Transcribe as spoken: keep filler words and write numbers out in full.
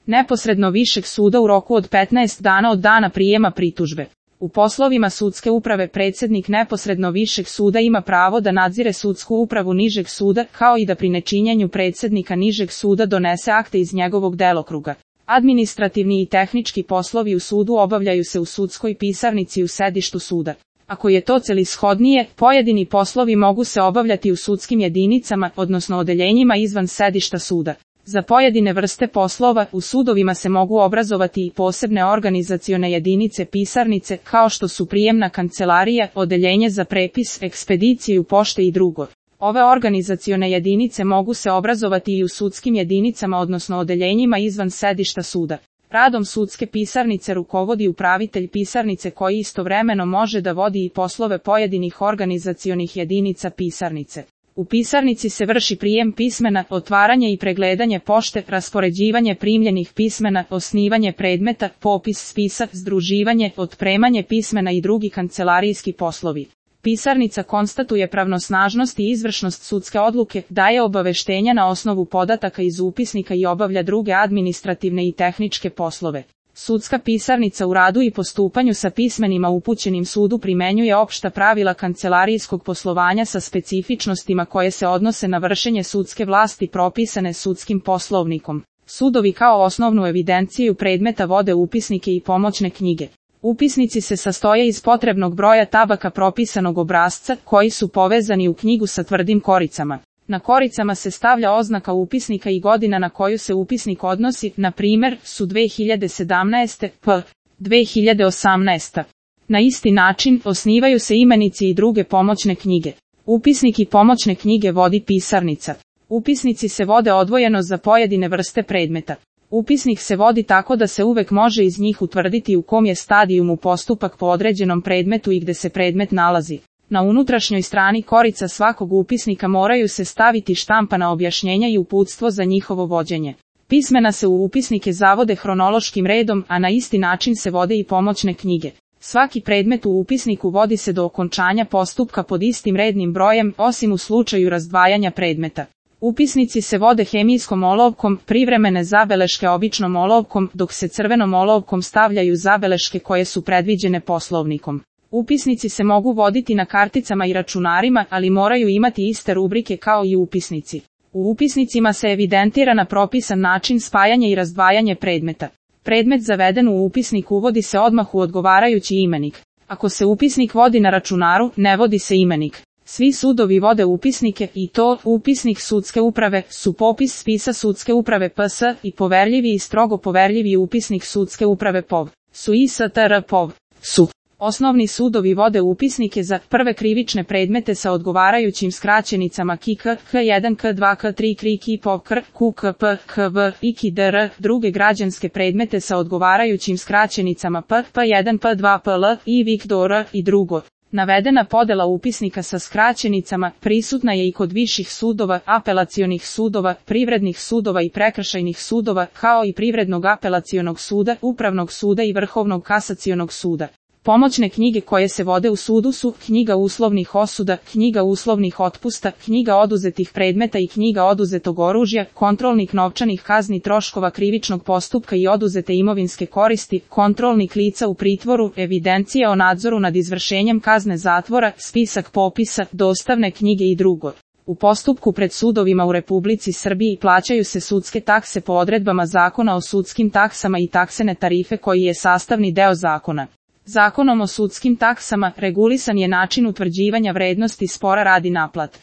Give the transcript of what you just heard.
neposredno višeg suda u roku od petnaest dana od dana prijema pritužbe. U poslovima sudske uprave predsjednik neposredno višeg suda ima pravo da nadzire sudsku upravu nižeg suda, kao i da pri nečinjenju predsjednika nižeg suda donese akte iz njegovog delokruga. Administrativni i tehnički poslovi u sudu obavljaju se u sudskoj pisarnici u sedištu suda. Ako je to celishodnije, pojedini poslovi mogu se obavljati u sudskim jedinicama, odnosno odeljenjima izvan sedišta suda. Za pojedine vrste poslova u sudovima se mogu obrazovati i posebne organizacione jedinice pisarnice, kao što su prijemna kancelarija, odeljenje za prepis, ekspediciju pošte i drugo. Ove organizacione jedinice mogu se obrazovati i u sudskim jedinicama, odnosno odeljenjima izvan sedišta suda. Radom sudske pisarnice rukovodi upravitelj pisarnice koji istovremeno može da vodi i poslove pojedinih organizacionih jedinica pisarnice. U pisarnici se vrši prijem pismena, otvaranje i pregledanje pošte, raspoređivanje primljenih pismena, osnivanje predmeta, popis spisa, združivanje, otpremanje pismena i drugi kancelarijski poslovi. Pisarnica konstatuje pravnosnažnost i izvršnost sudske odluke, daje obaveštenja na osnovu podataka iz upisnika i obavlja druge administrativne i tehničke poslove. Sudska pisarnica u radu i postupanju sa pismenima upućenim sudu primenjuje opšta pravila kancelarijskog poslovanja sa specifičnostima koje se odnose na vršenje sudske vlasti propisane sudskim poslovnikom. Sudovi kao osnovnu evidenciju predmeta vode upisnike i pomoćne knjige. Upisnici se sastoje iz potrebnog broja tabaka propisanog obrasca, koji su povezani u knjigu sa tvrdim koricama. Na koricama se stavlja oznaka upisnika i godina na koju se upisnik odnosi, na primjer, su dve hiljade sedamnaeste. p. dve hiljade osamnaeste. Na isti način, osnivaju se imenici i druge pomoćne knjige. Upisnik i pomoćne knjige vodi pisarnica. Upisnici se vode odvojeno za pojedine vrste predmeta. Upisnik se vodi tako da se uvek može iz njih utvrditi u kom je stadijumu postupak po određenom predmetu i gde se predmet nalazi. Na unutrašnjoj strani korica svakog upisnika moraju se staviti štampana objašnjenja i uputstvo za njihovo vođenje. Pismena se u upisnike zavode hronološkim redom, a na isti način se vode i pomoćne knjige. Svaki predmet u upisniku vodi se do okončanja postupka pod istim rednim brojem, osim u slučaju razdvajanja predmeta. Upisnici se vode hemijskom olovkom, privremene zabeleške običnom olovkom, dok se crvenom olovkom stavljaju zabeleške koje su predviđene poslovnikom. Upisnici se mogu voditi na karticama i računarima, ali moraju imati iste rubrike kao i upisnici. U upisnicima se evidentira na propisan način spajanje i razdvajanje predmeta. Predmet zaveden u upisnik uvodi se odmah u odgovarajući imenik. Ako se upisnik vodi na računaru, ne vodi se imenik. Svi sudovi vode upisnike, i to, upisnik sudske uprave, su popis spisa sudske uprave P S i poverljivi i strogo poverljivi upisnik sudske uprave P O V, su I S T R P O V, su. Osnovni sudovi vode upisnike za prve krivične predmete sa odgovarajućim skraćenicama K I K, K jedan, K dva, K tri, K R I, K I P O V, K R, Q K P, K V, I K I D R, druge građanske predmete sa odgovarajućim skraćenicama P, P jedan, P dva, P L, I Viktor i drugo. Navedena podela upisnika sa skraćenicama prisutna je i kod viših sudova, apelacionih sudova, privrednih sudova i prekršajnih sudova, kao i privrednog apelacionog suda, upravnog suda i vrhovnog kasacionog suda. Pomoćne knjige koje se vode u sudu su knjiga uslovnih osuda, knjiga uslovnih otpusta, knjiga oduzetih predmeta i knjiga oduzetog oružja, kontrolnik novčanih kazni troškova krivičnog postupka i oduzete imovinske koristi, kontrolnik lica u pritvoru, evidencija o nadzoru nad izvršenjem kazne zatvora, spisak popisa, dostavne knjige i drugo. U postupku pred sudovima u Republici Srbiji plaćaju se sudske takse po odredbama Zakona o sudskim taksama i taksene tarife koji je sastavni deo zakona. Zakonom o sudskim taksama regulisan je način utvrđivanja vrednosti spora radi naplate.